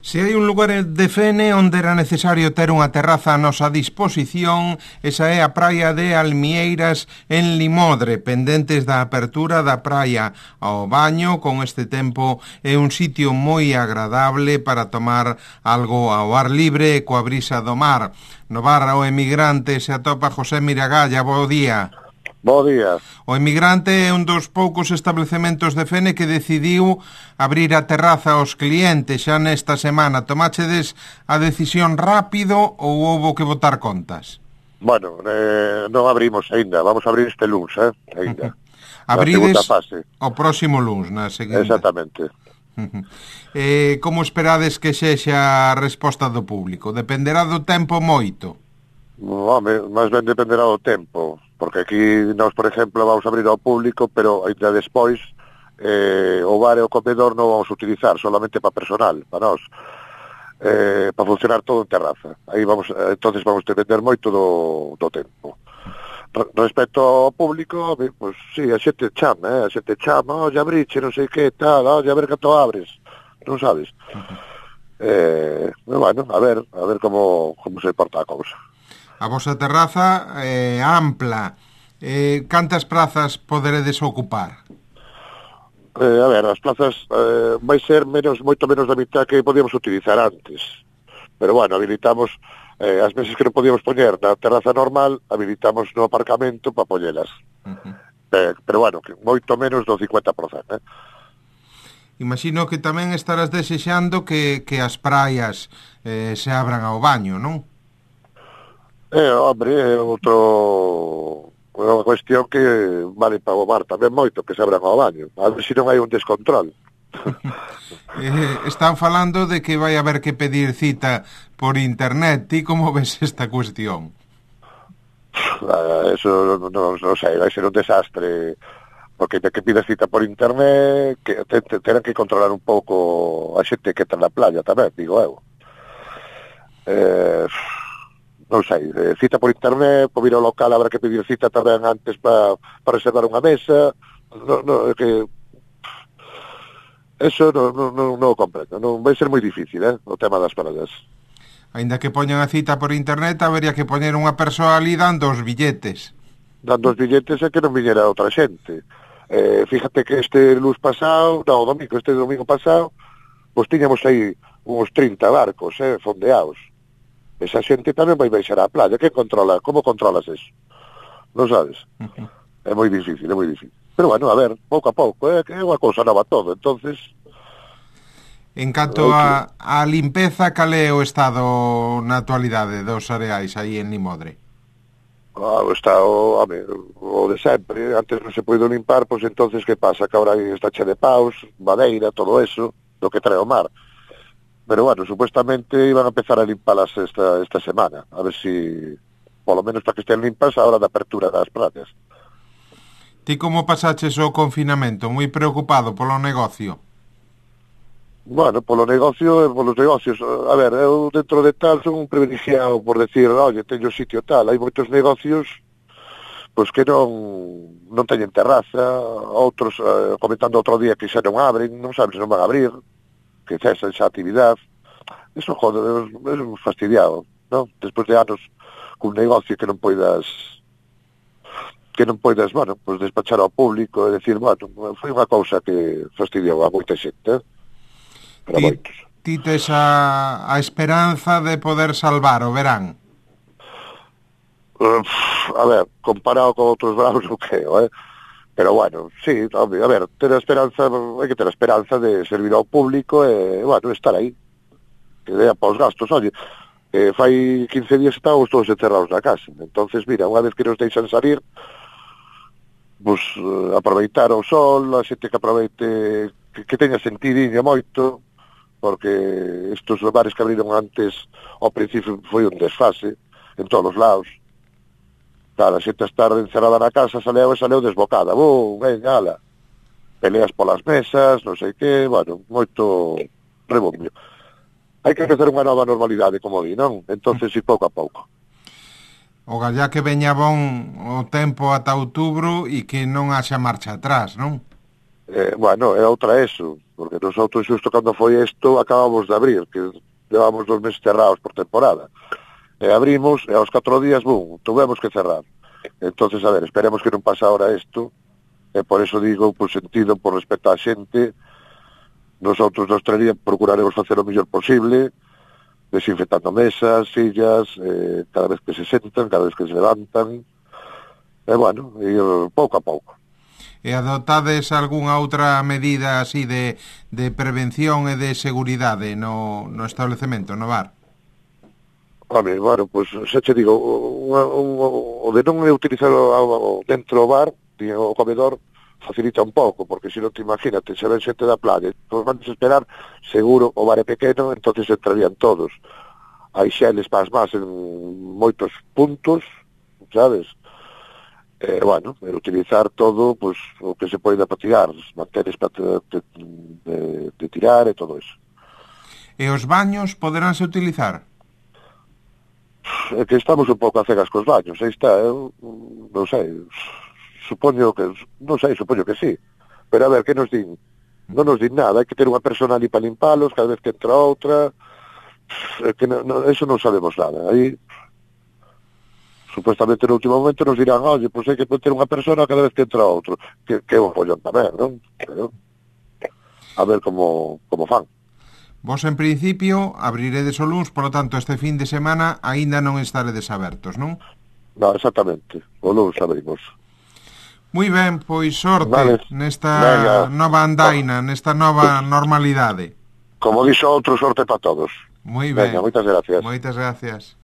Se hai un lugar de Fene onde era necesario ter unha terraza a nosa disposición, esa é a praia de Almieiras en Limodre, pendentes da apertura da praia ao baño. Con este tempo é un sitio moi agradable para tomar algo ao ar libre e coa brisa do mar. No bar O Emigrante se atopa José Miragalla. Bo día. Bo día. O Emigrante é un dos poucos establecementos de Fene que decidiu abrir a terraza aos clientes xa nesta semana. Tomáchedes a decisión rápido ou houbo que botar contas? Bueno, non abrimos aínda, vamos a abrir este luns, aínda. Abrides o próximo luns, na seguinte. Exactamente. Como esperades que sexa a resposta do público? Dependerá do tempo moito? Home, máis ben dependerá do tempo, porque aquí nós, por exemplo, vamos a abrir ao público, pero ainda despois o bar e o comedor non vamos a utilizar, solamente para personal, para nós, para funcionar todo en terraza. Aí entonces vamos a depender moito do tempo. Respecto ao público, pues, sí, a xente chama, oye, abriche, non sei que, tal, oye, a ver canto abres, non sabes? Bueno, a ver como se porta a cousa. A vosa terraza é ampla. Cantas prazas poderedes ocupar? A ver, as plazas vai ser moito menos da mitad que podíamos utilizar antes. Pero bueno, habilitamos as mesas que non podíamos poñer na terraza normal, habilitamos no aparcamento para poñelas. Pero bueno, que moito menos do 50%. Imagino que tamén estarás desexando que as praias se abran ao baño, non? Hombre, é unha cuestión que vale para o mar tamén moito, que se abran ao baño. A ver se non hai un descontrol. Están falando de que vai haber que pedir cita por internet. Ti como ves esta cuestión? Eso non sei, vai ser un desastre, porque de que pidas cita por internet que terán que controlar un pouco a xente que está na playa tamén, digo eu. Non sei, cita por internet, por vir ao local habrá que pedir cita tamén antes para reservar unha mesa. Que eso non o comprendo, non vai ser moi difícil, o tema das praias. Aínda que poñan a cita por internet, habería que poñer unha persoa ali dando os billetes. Dando os billetes é que non viñera outra xente. Fíjate que este domingo pasado, pois tiñamos aí uns 30 barcos, fondeados. Esa xente tamén vai baixar á playa. Como controlas eso? Non sabes? É moi difícil. Pero bueno, a ver, pouco a pouco, que é unha cousa nova todo, entonces... En canto a limpeza, cal é o estado na actualidade dos areais aí en Limodre? O estado, o de sempre. Antes non se poido limpar, pois entonces que pasa? Que agora está che de paus, madeira, todo eso, do que trae o mar. Pero bueno, supuestamente iban a empezar a limpalas esta semana, a ver si, polo menos para que estén limpas a hora da apertura das praias. Ti como pasaches o confinamento? Moi preocupado polo negocio? Bueno, polos negocios, a ver, eu dentro de tal son un privilegiado por decir, oye, teño sitio tal, hai moitos negocios pois que non teñen terraza, outros, comentando outro día que xa non abren, non sabes se non van a abrir, que cesan esa actividade. Eso, joder, é fastidiado, non? Despois de anos cun negocio que non poidas, bueno, pues despachar ao público e decir, bueno, foi unha cousa que fastidiou a moita xente, para moitos. Ti tes a esperanza de poder salvar o verán? A ver, comparado con outros veranos non creo, pero bueno, sí, a ver, hai que ter a esperanza de servir ao público e, bueno, estar aí, que dea para os gastos. Oye, fai 15 días estábamos todos encerrados na casa, entonces, mira, unha vez que nos deixan salir, pues aproveitar o sol, a xente que aproveite, que teña sentidiño moito, porque estos bares que abriron antes, ao principio foi un desfase, en todos os lados. Claro, a xente estar encerrada na casa saleu desbocada, venga, ala, peleas polas mesas, non sei que, bueno, moito rebombio. Hai que empezar unha nova normalidade, como di, non? Entonces, si pouco a pouco. O gallá que veña bon o tempo ata outubro e que non haxa marcha atrás, non? Bueno, é outra eso. porque nosotros xusto cando foi isto acabamos de abrir, que levamos 2 meses cerrados por temporada. Abrimos e aos 4 días, bum, tuvemos que cerrar. Entonces, a ver, esperemos que non pase ahora isto, e por eso digo, por sentido, por respeto á xente, nosotros na hostelería procuraremos facer o mellor posible, desinfectando mesas, sillas, cada vez que se sentan, cada vez que se levantan, e bueno, ir pouco a pouco. E adoptades algunha outra medida así de prevención e de seguridade no establecemento, no bar? Home, bueno, pues, xa che digo, o de non utilizar dentro do bar, o comedor, facilita un pouco, porque se non te imagínate, se ven xente da playa, pues van a esperar, seguro, o bar é pequeno, entonces entrarían todos. Hai xeles para as más en moitos puntos, sabes? Bueno, utilizar todo, pues, o que se pode para tirar, manteres para de tirar e todo eso. E os baños poderánse utilizar? É que estamos un pouco a cegas cos baños, aí está, eu non sei, supoño que sí, pero a ver, que nos din? Non nos din nada, hai que ter unha persona ali para limpalos cada vez que entra outra, que eso non sabemos nada, aí supuestamente no último momento nos dirán, oye, pois hai que ter unha persona cada vez que entra outro, que é un follón tamén, non? Pero, a ver como fan. Vos, en principio, abriredes o luns, polo tanto, este fin de semana aínda non estaredes abertos, non? Non, exactamente, o luns abrimos. Moi ben, pois sorte nesta nova andaina, nesta nova normalidade. Como dixo outro, sorte para todos. Moi ben. Venga, moitas gracias. Moitas gracias.